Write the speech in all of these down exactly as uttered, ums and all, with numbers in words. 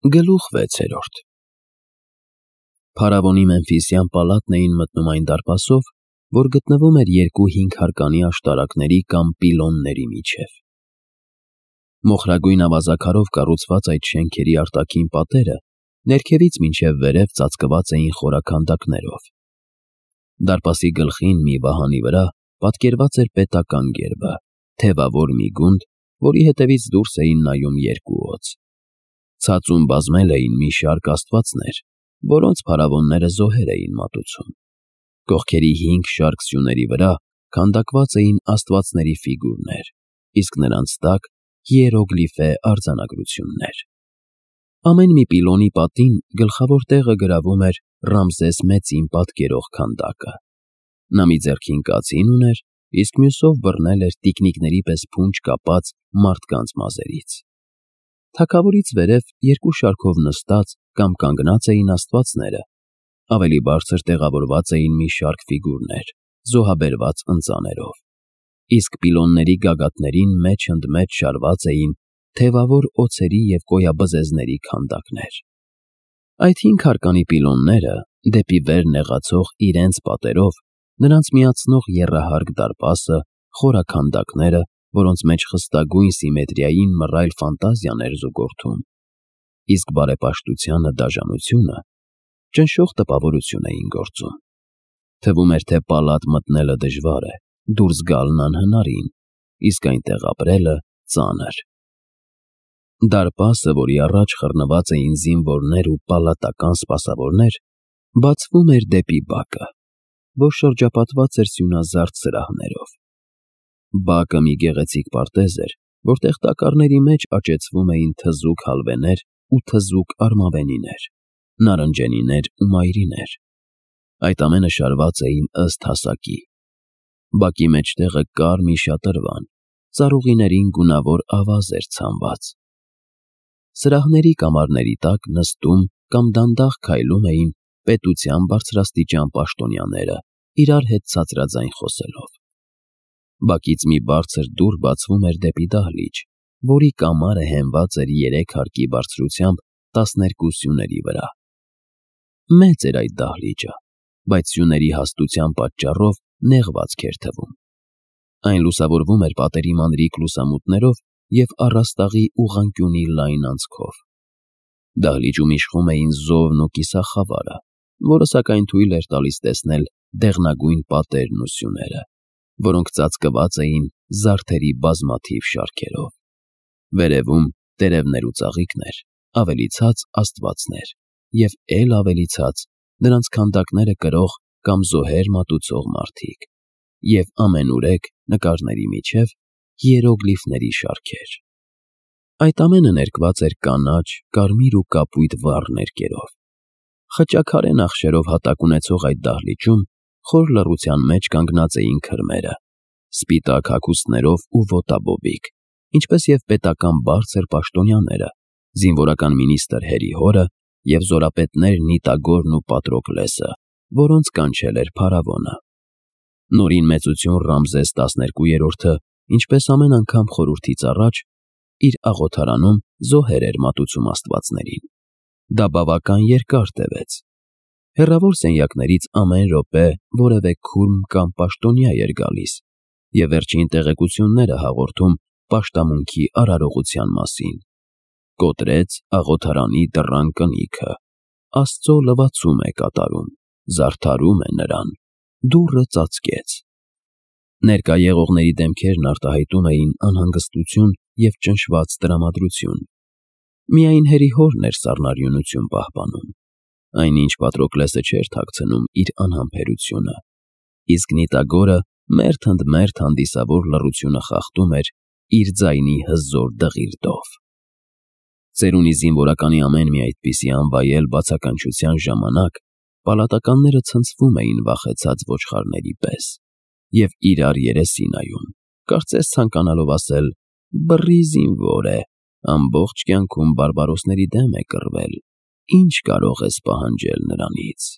Գլուխ վեցերորդ Փարավոնի Մեմֆիսյան պալատն էին մտնում այն դարպասով, որ գտնվում էր երկու հինգհարկանի աշտարակների կամ պիլոնների միջև։ Մոխրագույն ավազաքարով կառուցված այդ շենքերի արտաքին պատերը ներքևից մինչև վերև ծածկված էին խորաքանդակներով։ Դարպասի գլխին մի վահանի վրա պատկերված էր պետական գերբը, թևավոր մի գունդ, որի հետևից դուրս էին նայում երկու օձ։ Ցածուն բազմել էին մի շարք աստվածներ, որոնց փարավոնները զոհեր էին մատուցում։ Կողքերի հինգ շարք սյուների վրա քանդակված էին աստվածների ֆիգուրներ, իսկ նրանց տակ հիերոգլիֆե արձանագրություններ։ Ամեն մի պիլոնի պատին գլխավոր տեղը գրավում էր Ռամզես Մեծին պատկերող քանդակը։ Նա մի ձեռքին կացին ուներ, իսկ մյուսով բռնել էր տիկնիկների պես փունջ կապած մարդկանց մազերից։ Թագավորից վերև երկու շարքով նստած կամ կանգնած էին աստվածները, ավելի բարձր տեղավորված էին մի շարք ֆիգուրներ, զոհաբերված ընծաներով, իսկ պիլոնների գագաթներին մեջ ընդ մեջ շարված էին թևավոր օձերի և կոյաբզեզների քանդակներ։ Այդ հինգ հարկանի պիլոնները, դեպի վեր նեղացող իրենց պատերով, նրանց միացնող եռահարկ դարպասը, խորաքանդակները, որոնց մեջ խստագույն սիմետրիային մռայլ ֆանտազիան էր զուգորդում, իսկ բարեպաշտությանը դաժանությունը ճնշող տպավորություն էին գործում։ Թվում էր, թե պալատ մտնելը դժվար է, դուրս գալն անհնարին, իսկ այնտեղ ապրելը ծանր։ Դարպասը, որի առաջ խռնված էին զինվորներ ու պալատական սպասավորներ, բացվում էր դեպի բակը, որ շրջապատված էր սյունազարդ սրահներով։ Բակը մի գեղեցիկ պարտեզ էր, որտեղ տակառների մեջ աճեցվում էին թզուկ հալվեներ ու թզուկ արմավենիներ, նարնջենիներ ու մայրիներ։ Այդ ամենը շարված էին ըստ հասակի։ Բակի մեջտեղը կար մի շատրվան, ծառուղիներին գունավոր ավազ էր ցանված։ Սրահների կամարների տակ նստում կամ դանդաղ քայլում էին պետության բարձրաստիճան պաշտոնյաները, իրար հետ ցածրաձայն խոսելով։ Բակից մի բարձր դուռ բացվում էր դեպի դահլիճ, որի կամարը հենված էր երեք հարկի բարձրությամբ տասներկու սյուների վրա։ Մեծ էր այդ դահլիճը, բայց սյուների հաստության պատճառով նեղվածք էր թվում։ Այն լուսավորվում էր պատերի մանրիկ լուսամուտներով և առաստաղի ուղղանկյունի լայն անցքով։ Դահլիճում իշխում էին զովն ու կիսախավարը, որը սակայն թույլ էր տալիս տեսնել դեղնագույն պատերն ու սյուները, որոնք ծածկված էին զարդերի բազմաթիվ շարքերով։ Վերևում տերևներ ու ծաղիկներ, ավելի ցած աստվածներ և էլ ավելի ցած նրանց քանդակները կրող կամ զոհեր մատուցող մարդիկ, և ամենուրեք նկարների միջև հիերոգլիֆների շարքեր։ Այդ ամենը ներկված էր կանաչ, կարմիր ու կապույտ վառ ներկերով։ Խճաքարե նախշերով հատակ ունեցող այդ դահլիճում խոր լռության մեջ կանգնած էին քրմերը, սպիտակ հագուստներով ու ոտաբոբիկ, ինչպես և պետական բարձր պաշտոնյաները, զինվորական մինիստրը Հերիհորը և զորապետներ Նիտագորն ու Պատրոկլեսը, որոնց կանչել էր փարավոնը։ Նորին մեծություն Ռամզես տասներկուերորդը, ինչպես ամեն անգամ խորհրդից առաջ, իր աղոթարանում զոհեր էր մատուցում աստվածներին։ Դա բավական երկար տևեց։ Հեռավոր սենյակներից ամեն րոպե որևէ քուրմ կամ պաշտոնյա էր գալիս և վերջին տեղեկությունները հաղորդում պաշտամունքի արարողության մասին։ Կոտրեց աղոթարանի դռան կնիքը, Աստծո լվացում է կատարում, զարդարում է նրան, դուռը ծածկեց։ Ներկա եղողների դեմքերն արտահայտում էին անհանգստություն և ճնշված տրամադրություն։ Միայն Հերիհորն էր սառնարյունություն պահպանում, այնինչ Պատրոկլեսը չէր թաքցնում իր անհամբերությունը, իսկ Նիտագորը մերթ ընդ մերթ հանդիսավոր լռությունը խախտում էր իր ձայնի հզոր դղիրդով։ Ծերունի զինվորականի ամեն մի այդպիսի անվայել բացականչության ժամանակ պալատականները ցնցվում էին վախեցած ոչխարների պես և իրար երեսի նայում, կարծես ցանկանալով ասել. «Բռի զինվոր է, ամբողջ կյանքում բարբարոսների դեմ է կռվել, ինչ կարող ես պահանջել նրանից»։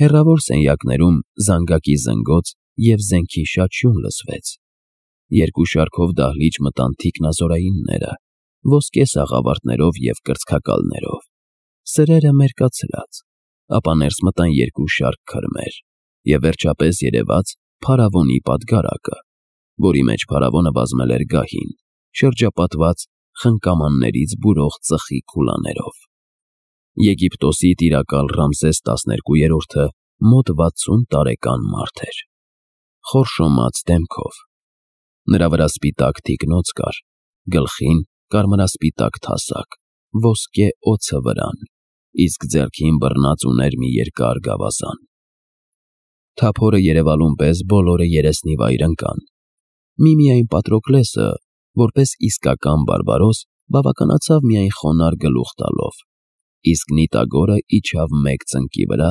Հեռավոր սենյակներում զանգակի զնգոց և զենքի շաչյուն լսվեց։ Երկու շարքով դահլիճ մտան թիկնազորայինները, ոսկե սաղավարտներով և կրծքակալներով, սրերը մերկացրած, ապա ներս մտան երկու շարք քրմեր, և վերջապես երևաց փարավոնի պատգարակը, որի մեջ փարավոնը բազմել էր գահին, շրջապատված խնկամաններից բուրող ծխի քուլաներով։ Եգիպտոսի տիրակալ Ռամզես տասներկուերորդը մոտ վաթսուն տարեկան մարդ էր, խորշոմած դեմքով, նրա վրա սպիտակ թիկնոց կար, գլխին կարմրասպիտակ թասակ, ոսկե օձը վրան, իսկ ձեռքին բռնած ուներ մի երկար գավազան։ Թափորը երևալուն պես բոլորը երեսնի վայր ընկան, միմիայն Պատրոկլեսը, որպես իսկական բարբարոս, բավականացավ միայն խոնարհ գլուխ տալով, իսկ Նիտագորը իջավ մեկ ծնկի վրա,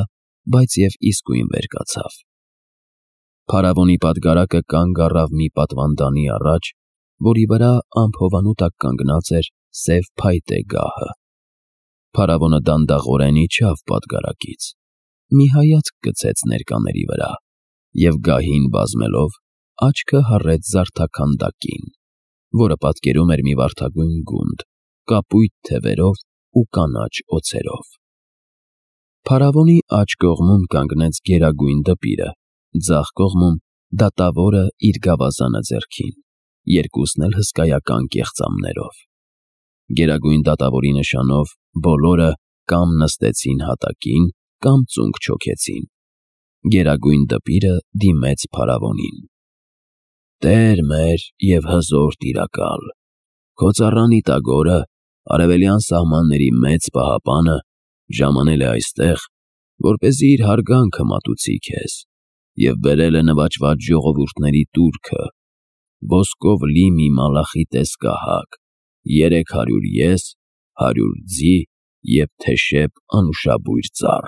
բայց և իսկույն վեր կացավ։ Փարավոնի պատգարակը կանգ առավ մի պատվանդանի առաջ, որի վրա ամփոփանու տակ կանգնած էր սև փայտե գահը։ Փարավոնը դանդաղորեն իջավ պատգարակից, մի հայացք գցեց ներկաների վրա և գահին բազմելով աչքը հառեց զարդաքանդակին, որը պատկերում էր մի վարդագույն գունդ, կապույտ թևերով ու կանաչ օձերով։ Փարավոնի աջ կողմում կանգնեց գերագույն դպիրը, ձախ կողմում դատավորը իր գավազանը ձեռքին, երկուսն էլ հսկայական կեղծամներով։ Գերագույն դատավորի նշանով բոլորը կամ նստեցին հատակին, կամ ծունկ չոքեցին։ Գերագույն դպիրը դիմեց փարավոնին. «Տեր մեր և հզոր տիրակալ, քո ծառա Նիտագորը, արևելյան սահմանների մեծ պահապանը, ժամանել է այստեղ, որպեսզի իր հարգանքը մատուցի քեզ, և բերել է նվաճված ժողովուրդների տուրքը, ոսկով լի մի մալախի տեսքահակ, երեք հարյուր ես, հարյուր ձի և թեշև անուշաբույր ծառ»։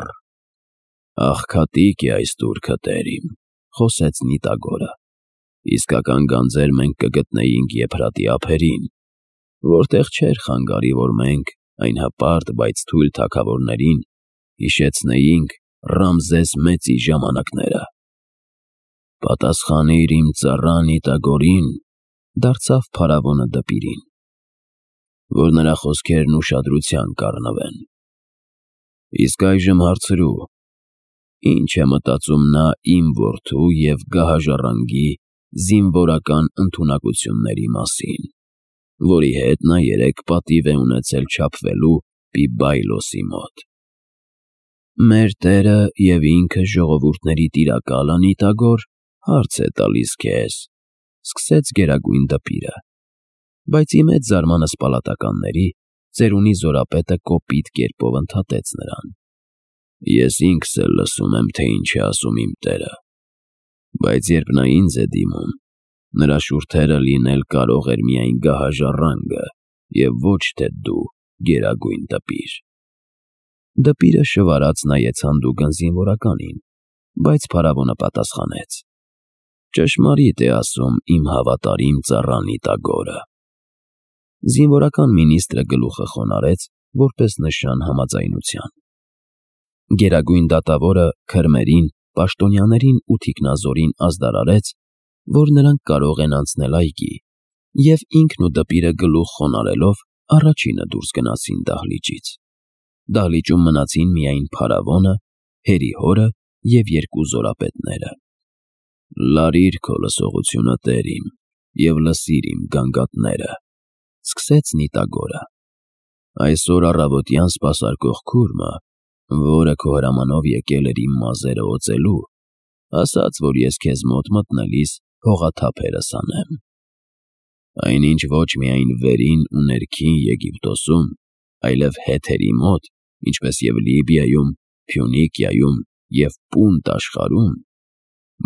«Աղքատիկ է այս տուրքը, տեր իմ», խոսեց Նիտագորը, «իսկական գանձեր մենք կգտնեինք Եփրատի ափերին, որտեղ չէր խանգարի, որ մենք, այն հպարտ, բայց թույլ թագավորներին, հիշեցնեինք Ռամզես Մեծի ժամանակները»։ «Պատասխանիր իմ ծառա Նիտագորին», դարձավ փարավոնը դպիրին, «որ նրա խոսքերն ուշադրության կառնվեն։ Իսկ այժմ հարցրու, ի՞նչ է մտածում նա իմ որդու և գահաժառանգի զինվորական ընդունակությունների մասին, որի հետ նա երեկ պատիվ է ունեցել չափվելու Պիբայլոսի մոտ»։ «Մեր տերը և ինքը ժողովուրդների տիրակալը Նիտագոր հարց է տալիս քեզ», սկսեց գերագույն դպիրը, բայց ի մեծ զարմանս պալատականների ծերունի զորապետը կոպիտ կերպով ընդհատեց նրան. «Ես ինքս էլ լսում եմ, թե ինչ է ասում իմ տերը, բայց երբ նա ինձ է դիմում, նրա շուրթերը լինել կարող էր միայն գահաժառանգը և ոչ թե դու, գերագույն դպիր»։ Դպիրը շվարած նայեց հանդուգն զինվորականին, բայց փարավոնը պատասխանեց. «Ճշմարիտ է ասում իմ հավատարիմ ծառա Նիտագորը»։ Զինվորական մինիստրը գլուխը խոնարհեց, որպես նշան համաձայնության։ Գերագույն դատավորը քրմերին, պաշտոնյաներին ու թիկնազորին ազդարարեց, որ նրանք կարող են անցնել այգի, և ինքն ու դպիրը գլուխ խոնարհելով առաջինը դուրս գնացին դահլիճից։ Դահլիճում մնացին միայն փարավոնը, հերի հորը և երկու զորապետները։ «Լարիր քո լսողությունը, տեր իմ, և լսիր իմ գանգատները», սկսեց Նիտագորը։ «Այսօր առավոտյան սպասարկող քուրմը, որը քո հրամանով եկել էր իմ մազերը օծելու, ասաց, որ ես քեզ մոտ մտնելիս հողաթափերս անեմ։ Այնինչ ոչ միայն վերին ու ներքին Եգիպտոսում, այլև հեթերի մոտ, ինչպես և Լիբիայում, Փյունիկիայում և Պունտ աշխարհում,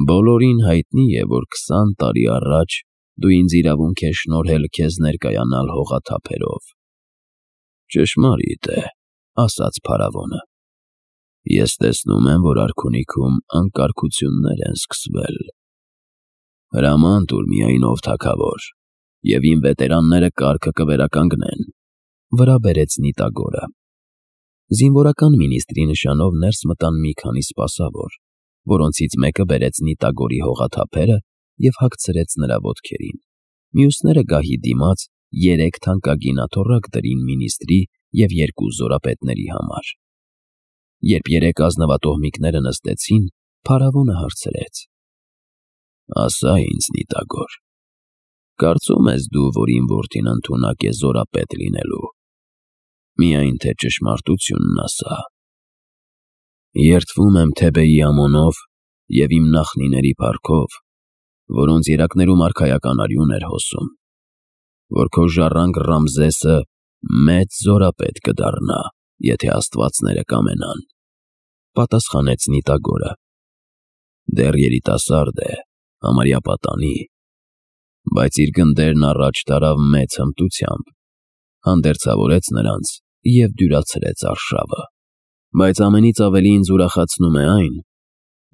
բոլորին հայտնի է, որ քսան տարի առաջ դու ինձ իրավունք ես շնորհել քեզ ներկայանալ հողաթափերով»։ «Ճշմարիտ է», ասաց փարավոնը։ «Ես տեսնում եմ, որ արքունիքում անկարգություններ են սկսվել։ Հրաման տուր միայն, ով թագավոր, և իմ վետերանները կարգը կվերականգնեն», վրա բերեց Նիտագորը։ Զինվորական մինիստրի նշանով ներս մտան մի քանի սպասավոր, որոնցից մեկը բերեց Նիտագորի հողաթափերը և հագցրեց նրա ոտքերին, մյուսները գահի դիմաց երեք թանկագին աթոռակ դրին մինիստրի և երկու զորապետների համար։ Երբ երեք ազնվատոհմիկները նստեցին, փարավոնը հարցրեց. «Ասա ինձ, Նիտագոր, կարծում ես դու, որ իմ որդին ընդունակ է զորապետ լինելու։ Միայն թե ճշմարտությունն ասա»։ «Երդվում եմ Թեբեի ամոնով և իմ նախնիների փառքով, որոնց երակներում արքայական արյուն էր հոսում, որ քո ժառանգ Ռամզեսը մեծ զորապետ կդառնա, եթե աստվածները կամենան», պատասխանեց Նիտագորը։ «Դեռ երիտասարդ է, համարյա պատանի, բայց իր գնդերն առաջ տարավ մեծ հմտությամբ, հանդերձավորեց նրանց և դյուրացրեց արշավը։ Բայց ամենից ավելի ինձ ուրախացնում է այն,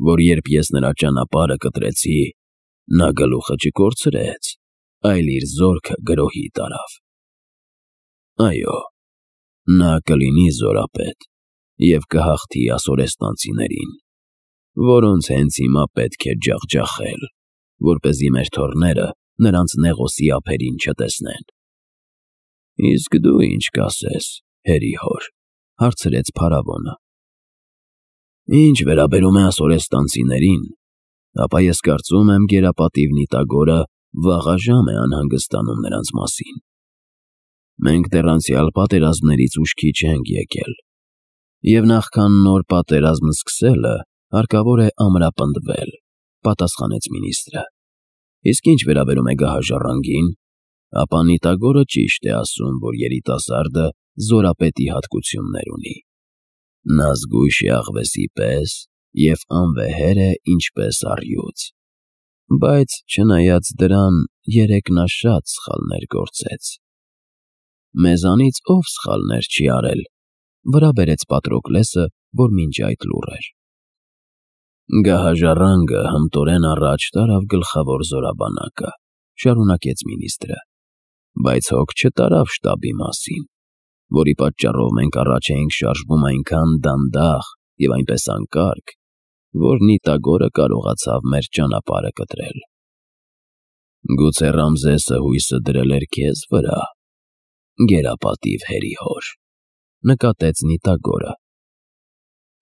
որ երբ ես նրա ճանապարհը կտրեցի, նա գլուխը չկորցրեց, այլ իր զորքը գրոհի տարավ։ Այո, նա կլինի զորապետ և կհաղթի ասորեստանցիներին, որոնց հենց հիմա պետք է ջախջախել, որպեսզի մեր թոռները նրանց նեղոսի ափերին չտեսնեն»։ «Իսկ դու ինչ կասես, հերի հոր», հարցրեց փարավոնը։ «Ինչ վերաբերում է ասորեստանցիներին, ապա ես կարծում եմ գերապատիվ Նիտագորը վաղաժամ է անհանգստանում նրանց մասին։ Մենք դեռ անցյալ պատերազմներից ուշքի չենք եկել, և նախքան նոր պատերազմ սկսելը հարկավոր է ամրապնդվել», պատասխանեց մինիստրը։ «Իսկ ինչ վերաբերում է գահաժառանգին, ապա Նիտագորը ճիշտ է ասում, որ երիտասարդը զորապետի հատկություններ ունի։ Նա զգույշ է աղվեսի պես և անվեհեր է ինչպես առյուծ։ Բայց չնայած դրան, երեկ նա շատ սխալներ գործեց»։ «Մեզանից ով սխալներ չի արել», վրա բերեց Պատրոկլեսը, որ մինչ այդ լուռ էր։ «Գահաժառանգը հմտորեն առաջ տարավ գլխավոր զորաբանակը», շարունակեց մինիստրը, «բայց հոգ չտարավ շտաբի մասին, որի պատճառով մենք առաջ էինք շարժվում այնքան դանդաղ և այնպես անկարգ, որ Նիտագորը կարողացավ մեր ճանապարհը կտրել»։ «Գուցե Ռամզեսը հույսը դրել էր քեզ վրա, գերապատիվ հերի հոր», նկատեց Նիտագորը։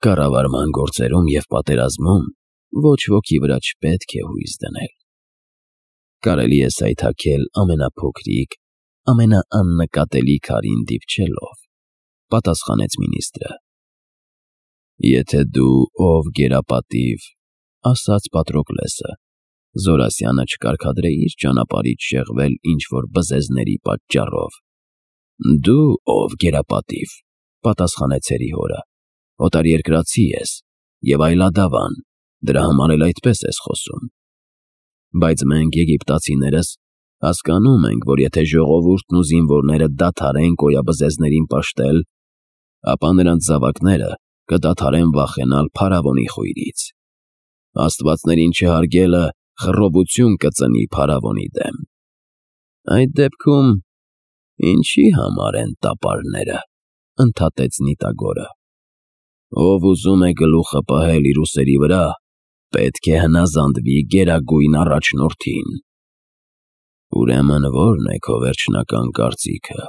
«Կառավարման գործերում և պատերազմում ոչ ոքի վրա չպետք է հույս դնել։ Կարելի է սայթաքել ամենափոքրիկ, ամենաաննկատելի քարին դիպչելով», պատասխանեց մինիստրը։ «Եթե դու, ով գերապատիվ, ասաց Պատրոկլեսը, Զորասյանը չկարգադրեիր ճանապարհից շեղվել ինչ-որ բզեզների պատճառով։ Դու, ով գերապատիվ, պատասխանեց հերի հորը, օտարերկրացի ես և այլադավան, դրա համար էլ այդպես ես խոսում։ Բայց մենք, եգիպտացիներս, հասկանում ենք, որ եթե ժողովուրդն ու զինվորները դադարեն կոյաբզեզներին պաշտել, ապա նրանց զավակները կդադարեն վախենալ փարավոնի խույրից։ Աստվածներին չհարգելը խռովություն կծնի փարավոնի դեմ։ Այդ դեպքում ինչի համար են տապարները», ընդհատեց Նիտագորը։ «Ով ուզում է գլուխը պահել իր ուսերի վրա, պետք է հնազանդվի Գերագույն Առաջնորդին»։ «Ուրեմն ո՞րն է քո վերջնական կարծիքը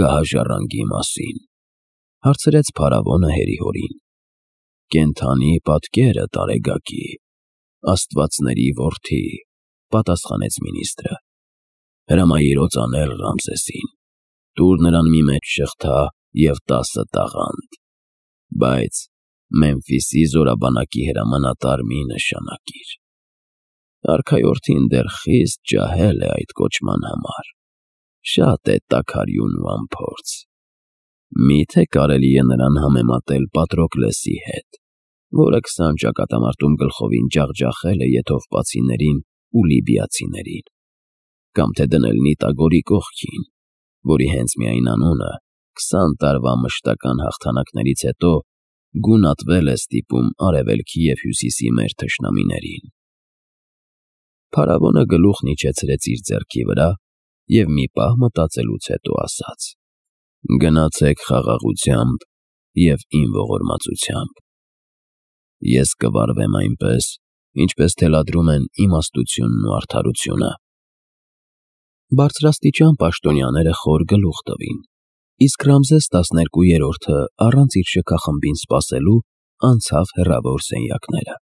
գահաժառանգի մասին», հարցրեց փարավոնը հերի հորին։ «Կենդանի պատկերը տարեգակի, աստվածների որդի», պատասխանեց մինիստրը։ «Հրամայիր օծանել Ռամզեսին, տուր նրան մի մեծ շղթա և տասը տաղանդ, բայց Մեմֆիսի զորաբանակի հրամանատար մի նշանակիր։ Արքայորդին դեռ խիստ ջահել է այդ կոչման համար, շատ է տաքարյուն ու անփորձ։ Մի՞թե կարելի է նրան համեմատել Պատրոկլեսի հետ, որը քսան ճակատամարտում գլխովին ջախջախել է եթովպացիներին ու լիբիացիներին, կամ թե դնել Նիտագորի կողքին, որի հենց միայն անունը քսան տարվա մշտական հաղթանակներից հետո գունատվել է ստիպում Արևելքի և Հյուսիսի մեր թշնամիներին»։ Փարավոնը գլուխն իջեցրեց իր ձեռքի վրա և մի պահ մտածելուց հետո ասաց. «Գնացեք խաղաղությամբ և իմ ողորմածությամբ։ Ես կվարվեմ այնպես, ինչպես թելադրում են իմաստությունն ու արդարությունը»։ Բարձրաստիճան պաշտոնյաները խոր գլուխ տվին, իսկ Ռամզես տասներկուերորդը, առանց իր շքախմբին սպասելու, անցավ հեռավոր սենյակները։